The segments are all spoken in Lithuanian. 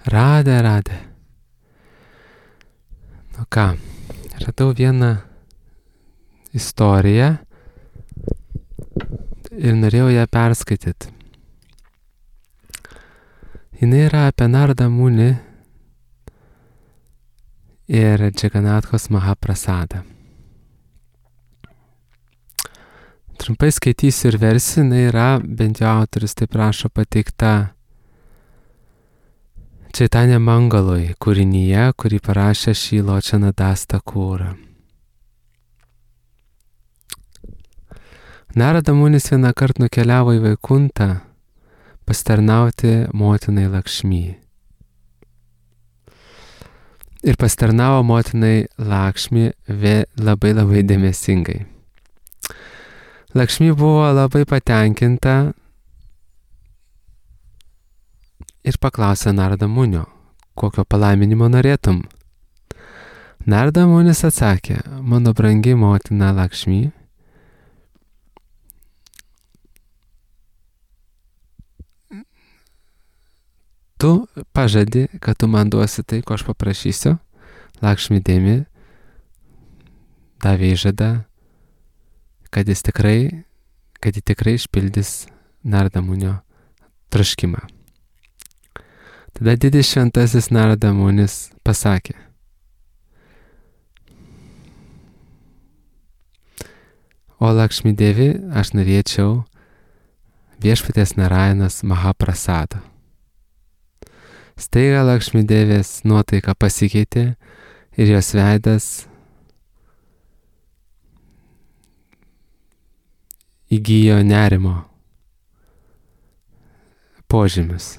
Radė. Nu ką, radau vieną istoriją ir norėjau ją perskaityti. Jis yra apie Narada Muni ir Džaganathos Mahaprasadą. Trumpai skaitysiu ir versiją, jinai yra, bent jau autorius taip rašo, pateikta Chaitanya Mangaloj kūrinyje, kurį parašė Šriločana Das Thakura. Narada Munis vieną kartą nukeliavo į Vaikuntą pasitarnauti motinai Lakšmi. Ir pasitarnavo motinai Lakšmi labai dėmesingai. Lakšmi buvo labai patenkinta ir paklausė Narada Munio, kokio palaiminimo norėtum. Narada Munis atsakė, mano brangi motina Lakšmi, tu pažadi, kad tu man duosi tai, ko aš paprašysiu. Lakšmi Demi davė įžadą, kad ji tikrai išpildys Narada Munio troškimą. Tada didis šventasis Narada Munis pasakė, o Lakšmi Devi, aš norėčiau viešpaties Narayanas Mahaprasado. Staiga Lakšmi Devės nuotaika pasikeitė ir jos veidas įgijo nerimo požymius.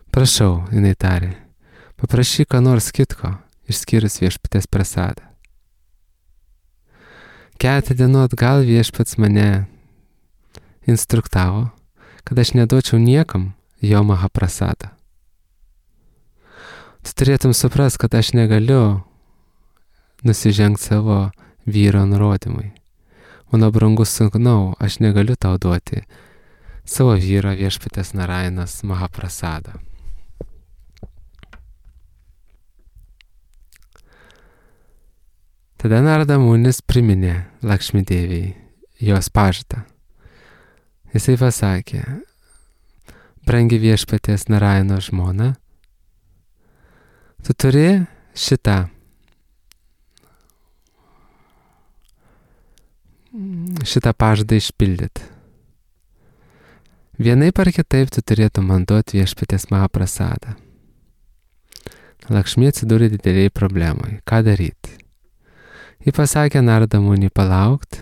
Prašau, jinai tarė, paprašyk ką nors kitko, išskyrus viešpaties prasadą. Keletą dienų atgal viešpats mane instruktavo, kad aš neduočiau niekam jo Mahaprasadą. Tu turėtum suprast, kad aš negaliu nusižengti savo vyro nurodymui. Mano brangus sūnau, aš negaliu tau duoti savo vyro viešpaties Narayanas Mahaprasado. Tada Narada Munis priminė Lakšmi Deviai jos pažadą. Jisai pasakė, brangi viešpaties Narayano žmona, tu turi šitą pažadą išpildyti. Vienaip ar kitaip tu turėtum man duoti viešpaties Mahaprasadą. Lakšmi atsidūrė dideliai problemai. Ką daryti? Ji pasakė Narada Muni palaukt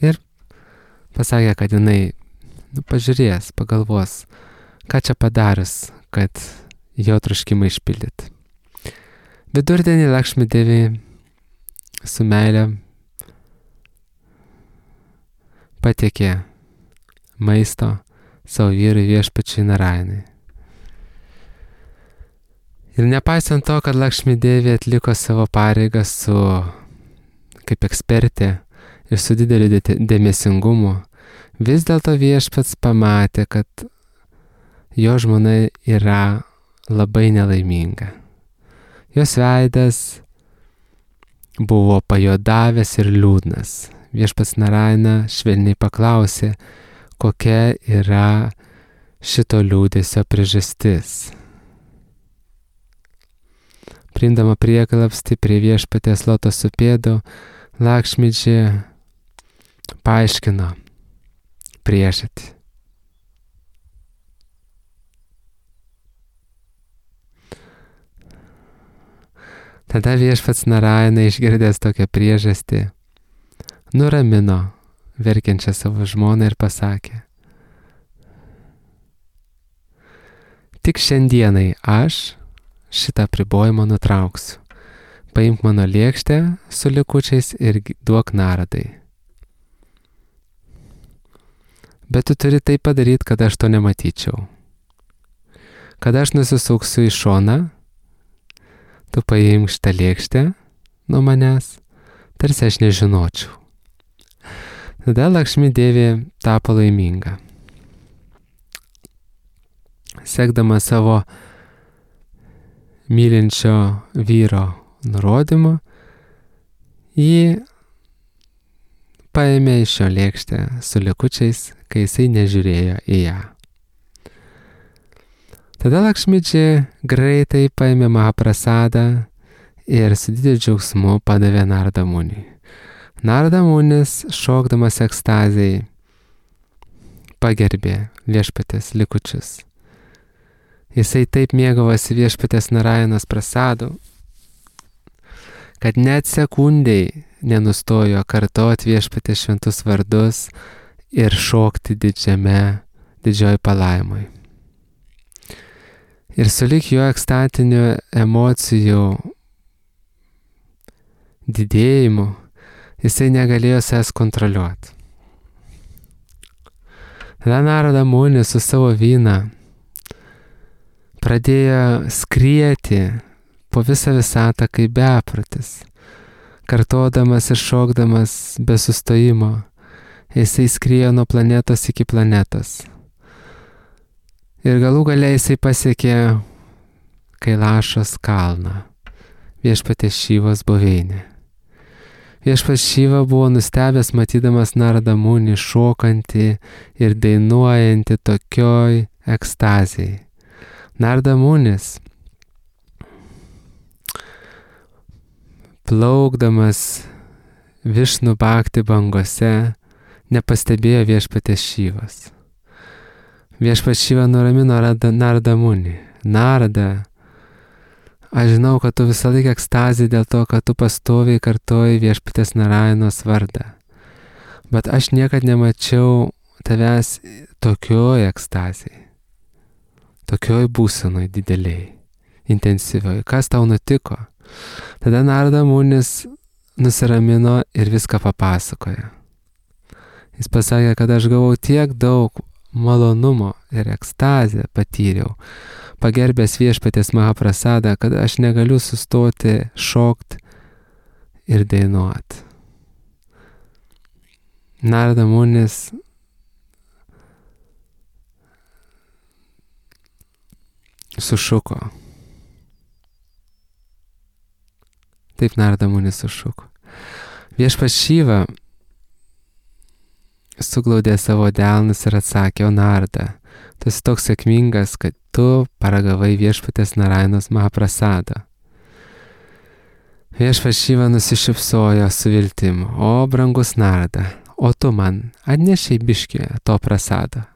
ir pasakė, kad jinai pažiūrės, pagalvos, ką čia padarys, kad jo troškimą išpildyti. Vidurdienį Lakšmi Devi su meile patiekė maisto savo vyrui viešpačiui Narayanai. Ir nepaisant to, kad Lakšmi Devi atliko savo pareigą kaip ekspertė ir su dideliu dėmesingumu, vis dėlto viešpats pamatė, kad jo žmona yra labai nelaiminga. Jos veidas buvo pajodavęs ir liūdnas. Viešpats Narayana švelniai paklausė, kokia yra šito liūdesio priežastis. Priimdama prieglobstį prie viešpaties lotoso pėdų, Lakšmidži paaiškino priežastį. Tada viešpats Narayana išgirdęs tokią priežastį, nuramino verkiančią savo žmoną ir pasakė, tik šiandienai aš šitą apribojimą nutrauksiu. Paimk mano lėkštę su likučiais ir duok Naradai. Bet tu turi tai padaryti, kad aš to nematyčiau. Kad aš nusisuksiu į šoną, tu paimk šitą lėkštę nuo manęs, tarsi aš nežinočiau. Tada Lakšmi Devi tapo laiminga. sekdama savo mylinčio vyro nurodymu, ji paėmė iš jo lėkštę su likučiais, kai jisai nežiūrėjo į ją. Tada Lakšmidži greitai paėmė Mahaprasadą ir su dideliu džiaugsmu padavė Narada Muniui. Narada Munis, šokdamas ekstazijai, pagerbė viešpatės likučius. Jisai taip mėgavosi viešpatės Narajanos prasadu, kad net sekundei nenustojo kartoti viešpatės šventus vardus ir šokti didžioj palaimoj. Ir sulig jo ekstatinių emocijų didėjimu, jisai negalėjo savęs kontroliuoti. Tada Narada Munis su savo vyna pradėjo skrieti po visą visatą kaip beprotis, kartodamas ir šokdamas be sustojimo. Jisai skriejo nuo planetos iki planetos. Ir galų gale jisai pasiekė Kailašos kalną, viešpatės Šivos buveinę. Viešpats Šiva buvo nustebęs matydamas Narada Munį šokantį ir dainuojantį tokioj ekstazijai. Narada Munis, plaukdamas Višnu Bhakti bangose, nepastebėjo viešpatės Šivos. Viešpats Šiva nuramino Narada Munį. Narada, aš žinau, kad tu visą laiką ekstazį dėl to, kad tu pastoviai kartoji viešpatės Narajanos vardą. Bet aš niekad nemačiau tavęs tokioj ekstazijai, tokioj būsenoj dideliai, intensyvioj. Kas tau nutiko? Tada Narada Munis nusiramino ir viską papasakojo. Jis pasakė, kad aš gavau tiek daug malonumo ir ekstazę patyriau, pagerbęs viešpatės Mahaprasadą, kad aš negaliu sustoti šokt ir dainuot. Narada Munis sušuko. Taip Narada Munis sušuko. Viešpats Šiva suglaudė savo delnus ir atsakė, o Narada, tu esi toks sėkmingas, kad tu paragavai viešpatės Narajanos Mahaprasadą. Viešpats Šiva nusišypsojo su viltimu, o brangus Narada, o tu man atnešiai biškį to prasado.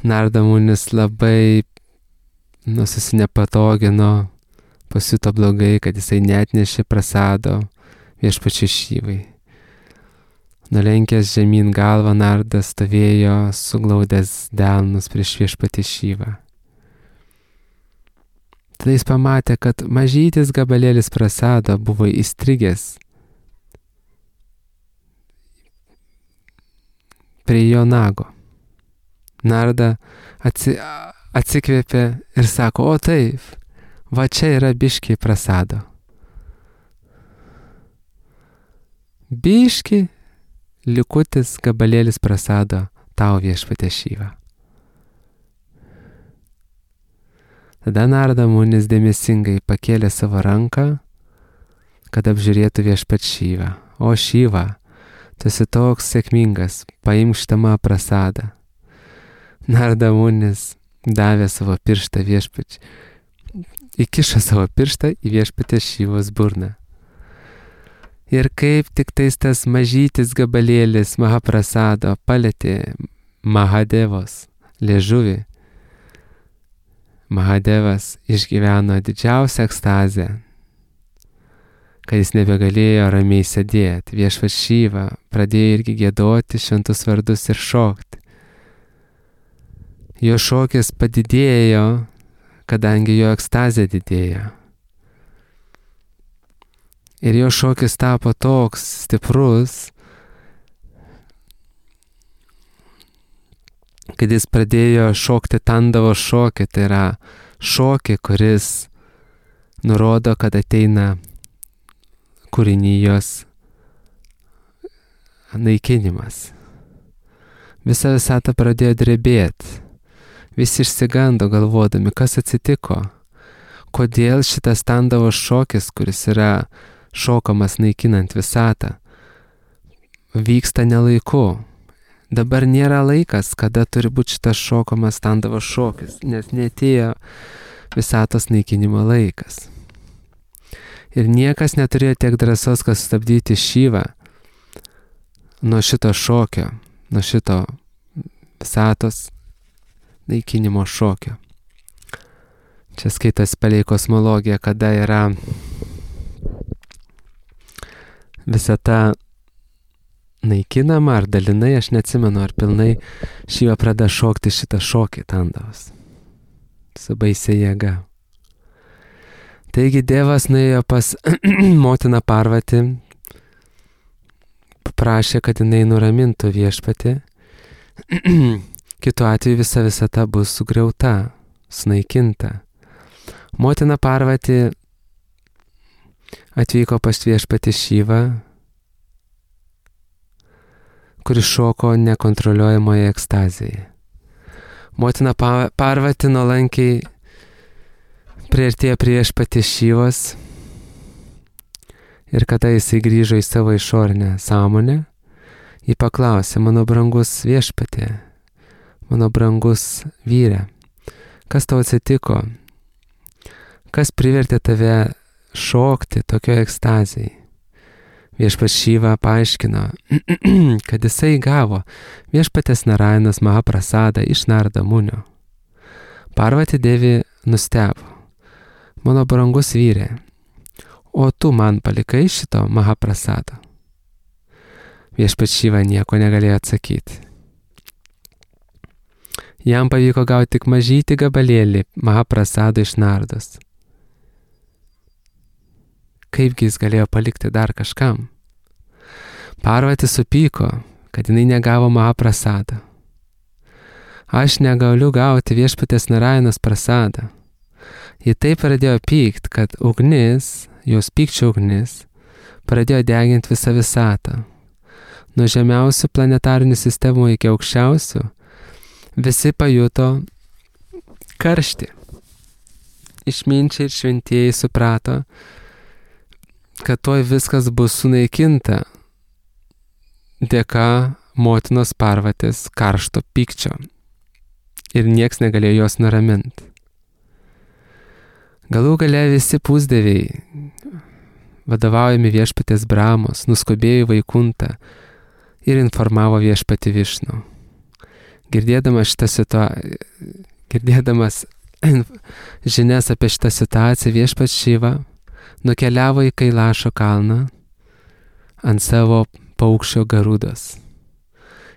Narada Munis labai susinepatogino, pasijuto blogai, kad jisai neatnešė prasado viešpačiui Šivai. Nulenkęs žemyn galvą, Narada stovėjo suglaudęs delnus prieš viešpatį Šivą. Tada jis pamatė, kad mažytis gabalėlis prasado buvo įstrigęs prie jo nago. Narada atsikvėpė ir sako, o taip, va čia yra biški prasado. Biški likutis gabalėlis prasado tau viešpatė Šiva. Tada Narada Munis dėmesingai pakėlė savo ranką, kad apžiūrėtų viešpat Šivą. O Šiva, tu esi toks sėkmingas, paimk šitą prasadą. Narada Munis davė savo pirštą viešpačiui, įkišo savo pirštą į viešpatės Šivos burną. Ir kaip tik tas mažytis gabalėlis Mahaprasado palėtė Mahadevos liežuvį, Mahadevas išgyveno didžiausią ekstazę, kad jis nebegalėjo ramiai sėdėti. Viešpats Šiva pradėjo irgi giedoti šventus vardus ir šokti. Jo šokis padidėjo, kadangi jo ekstazė didėjo. Ir jo šokis tapo toks stiprus, kad jis pradėjo šokti Tandavo šokį, tai yra šokį, kuris nurodo, kad ateina kūrinijos naikinimas. Visa visata pradėjo drebėti. Visi išsigando galvodami, kas atsitiko. Kodėl šitas Tandavos šokis, kuris yra šokamas naikinant visatą, vyksta nelaiku. Dabar nėra laikas, kada turi būti šitas šokamas Tandavos šokis, nes neatėjo visatos naikinimo laikas. Ir niekas neturėjo tiek drąsos, kad sustabdyti Šyvą nuo šito šokio, nuo šito visatos naikinimo šokio. Čia skaitas palei kosmologiją, kada yra visata naikinama ar dalinai, aš neatsimenu, ar pilnai Šyva pradeda šokti šitą šokį Tandavos. Su baisia jėga. Taigi Dievas nuėjo pas motiną Parvatį, paprašė, kad jinai nuramintų viešpatį. Kitu atveju visa visata bus sugriauta, sunaikinta. Motina Parvatį atvyko pas viešpatį Šyvą, kuris šoko nekontroliuojamoje ekstazėje. Motina Parvatį nuolankiai priartėjo prie viešpatį Šyvos ir kada jisai grįžo į savo išorinę sąmonę, jį paklausė, mano brangus viešpatė, mano brangus vyre, kas tau atsitiko? Kas privertė tave šokti tokioje ekstazėje? Viešpats Šyva paaiškino, kad jisai gavo viešpatės Narainos Mahaprasadą iš Narada Munio. Parvati Devi nustebo, mano brangus vyre, o tu man palikai šito Mahaprasado? Viešpats Šyva nieko negalėjo atsakyti. Jam pavyko gauti tik mažytį gabalėlį Mahaprasado iš Nardos. Kaipgi jis galėjo palikti dar kažkam? Parvati supyko, kad jinai negavo Mahaprasadą. Aš negaliu gauti viešpatės Narainos prasadą. Ji taip pradėjo pykt, kad ugnis, jos pykčio ugnis, pradėjo deginti visą visatą. Nuo žemiausių planetarinių sistemų iki aukščiausių, visi pajuto karštį. Išminčiai ir šventieji suprato, kad tuoj viskas bus sunaikinta dėka motinos Parvatės karšto pykčio ir nieks negalėjo jos nuraminti. Galų gale visi pusdieviai, vadovaujami viešpatės Brahmos, nuskubėjo į Vaikuntą ir informavo viešpatį Višnų. Girdėdamas žinias apie šitą situaciją, viešpats Šyva nukeliavo į Kailašo kalną ant savo paukščio Garudos.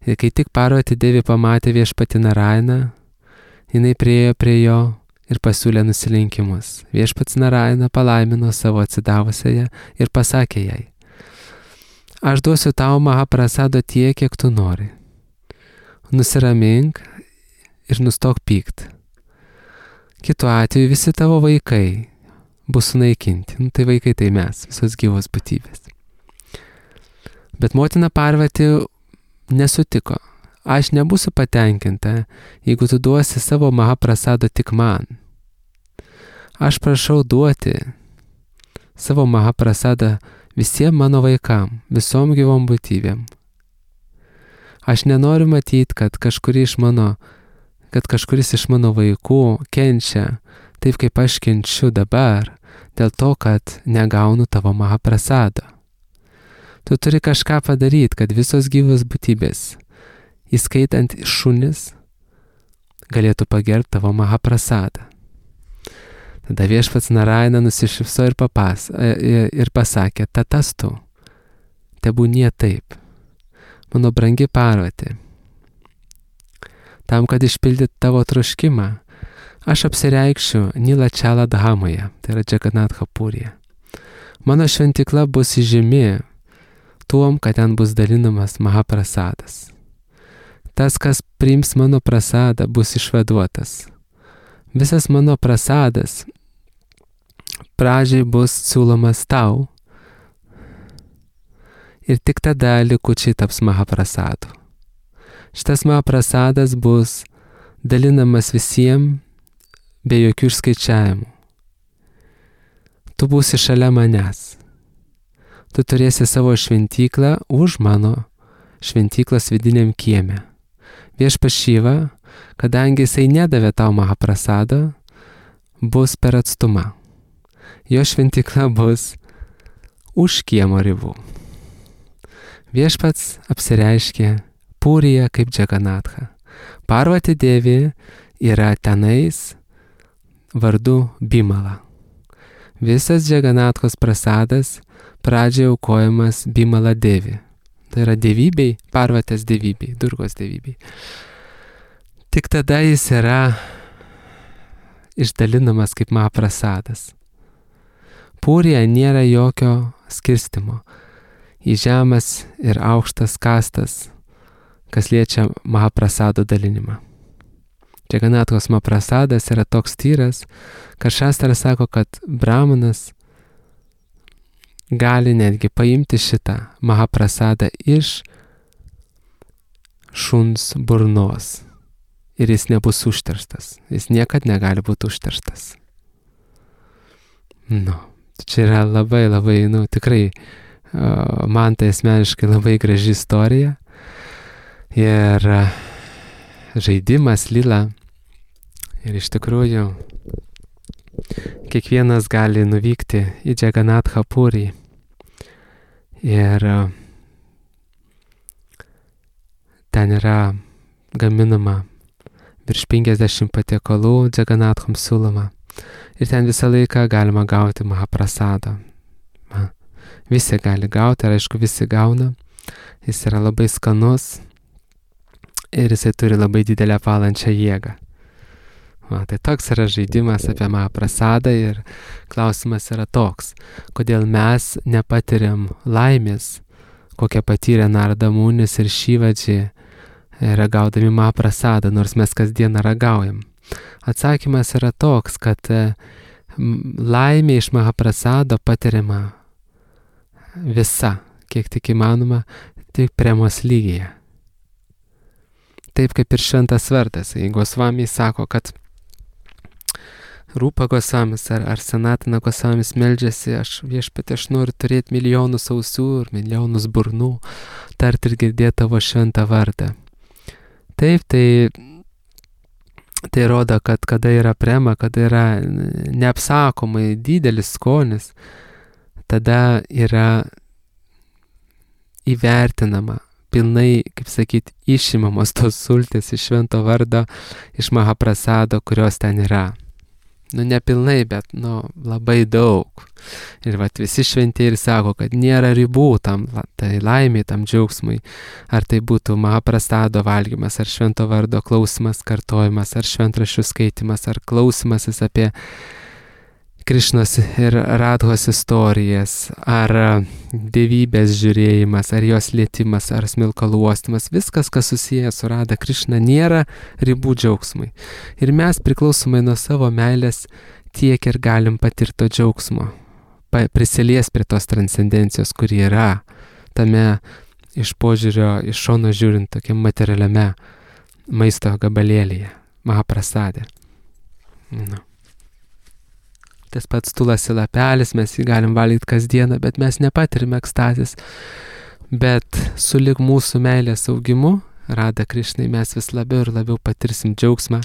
Ir kai tik Parvati Devi pamatė viešpatį Narainą, jinai priėjo prie jo ir pasiūlė nusilenkimus. Viešpats Naraina palaimino savo atsidavusiąją ir pasakė jai, aš duosiu tau Mahaprasado tiek, kiek tu nori. Nusiramink ir nustok pykt. Kitu atveju visi tavo vaikai bus sunaikinti. Tai vaikai tai mes, visos gyvos būtybės. Bet motina Parvati nesutiko. Aš nebūsiu patenkinta, jeigu tu duosi savo Mahaprasado tik man. Aš prašau duoti savo Mahaprasadą visiems mano vaikam, visom gyvom būtybėm. Aš nenoriu matyti, kad kažkuris iš mano vaikų kenčia taip, kaip aš kenčiu dabar, dėl to, kad negaunu tavo Mahaprasado. Tu turi kažką padaryti, kad visos gyvos būtybės, įskaitant šunis, galėtų pagerbti tavo Mahaprasadą. Tada viešpats Naraina nusišypso ir pasakė, tatastu, tebūnie taip, mano brangi Parvati. Tam, kad išpildyt tavo troškimą, aš apsireikšiu Nilačala Dhamoje, tai yra Džaganatha Purija. Mano šventikla bus įžymi tuom, kad ten bus dalinamas Mahaprasadas. Tas, kas priims mano prasadą, bus išvaduotas. Visas mano prasadas pradžiai bus siūlomas tau ir tik tada likučiai taps Mahaprasadu. Šitas Mahaprasadas bus dalinamas visiems be jokių išskaičiavimų. Tu būsi šalia manęs. Tu turėsi savo šventyklą už mano šventyklos vidiniam kieme. Viešpats Šiva, kadangi jisai nedavė tau Mahaprasado, bus per atstumą. Jo šventykla bus už kiemo ribų. Viešpats apsireiškė Pūryje kaip Džaganatha. Parvati Devi yra tenais vardu Bimala. Visas Džaganathos prasadas pradžioje aukojamas Bimala Devi. Tai yra dievybei, Parvatės dievybei, Durgos dievybei. Tik tada jis yra išdalinamas kaip Mahaprasadas. Pūryje nėra jokio skirstimo į žemas ir aukštas kastas, kas liečia Mahaprasado dalinimą. Džaganathos Mahaprasadas yra toks tyras, kad šastras sako, kad brahmanas gali netgi paimti šitą Mahaprasadą iš šuns burnos ir jis nebus užterštas. Jis niekad negali būti užterštas. Čia yra labai, tikrai man tai asmeniškai labai graži istorija. Ir žaidimas lila. Ir iš tikrųjų kiekvienas gali nuvykti į Džaganathą Pūrį. Ir ten yra gaminama virš 50 patiekalų Džaganathams siūloma. Ir ten visą laiką galima gauti Mahaprasadą. Visi gali gauti, ir aišku, visi gauna. Jis yra labai skanus ir jisai turi labai didelę valančią jėgą. Tai toks yra žaidimas apie Mahaprasadą ir klausimas yra toks, kodėl mes nepatiriam laimės, kokią patyrė Narada Munis ir Šivadži ragaudami Mahaprasadą, nors mes kasdieną ragaujam. Atsakymas yra toks, kad laimė iš Mahaprasado patiriama visa, kiek tik įmanoma, tik premos lygyje. Taip kaip ir šventas vardas. Gosvami sako, kad Rūpa Gosvamis ar Sanatina Gosvamis meldžiasi, viešpatie, aš noriu turėti milijonus ausių ir milijonus burnų, tarti ir girdėti tavo šventą vardą. Taip, tai rodo, kad kada yra prema, kada yra neapsakomai didelis skonis, tada yra įvertinama, pilnai, kaip sakyti, išimamos tos sultys iš švento vardo, iš Mahaprasado, kurios ten yra. Nepilnai, bet labai daug. Ir visi šventieji sako, kad nėra ribų tam, tai laimė, tam džiaugsmui. Ar tai būtų Mahaprasado valgymas, ar švento vardo klausimas, kartojimas, ar šventraščių skaitimas, ar klausimasis apie Krišnos ir Radhos istorijas, ar dievybės žiūrėjimas, ar jos lietimas, ar smilkalų uostymas, viskas, kas susijęs su Radha Krišna, nėra ribų džiaugsmui. Ir mes priklausomai nuo savo meilės tiek ir galim patirti to džiaugsmo, prisilies prie tos transcendencijos, kuri yra tame iš požiūrio, iš šono žiūrint, tokiam materialiame maisto gabalėlyje, Mahaprasade. Tas pats tulasi lapelis, mes jį galim valgyti kasdieną, bet mes nepatirime ekstazės. Bet sulig mūsų meilės augimu, Radha Krišnai, mes vis labiau ir labiau patirsim džiaugsmą,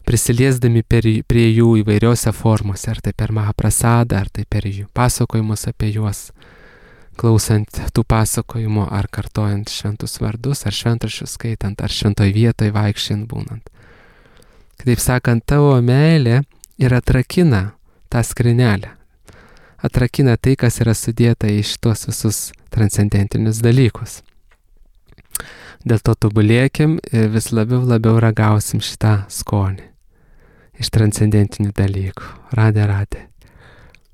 prisiliesdami prie jų įvairiose formose, ar tai per Mahaprasadą, ar tai per jų pasakojimus apie juos, klausant tų pasakojimų, ar kartojant šventus vardus, ar šventraščius skaitant, ar šventoj vietoj vaikščiant būnant. Kitaip sakant, tavo meilė ir atrakina tą skrinelę. Atrakina tai, kas yra sudėta į šitos visus transcendentinius dalykus. Dėl to tobulėkim ir vis labiau ragausim šitą skonį iš transcendentinių dalykų. Radhe, radhe.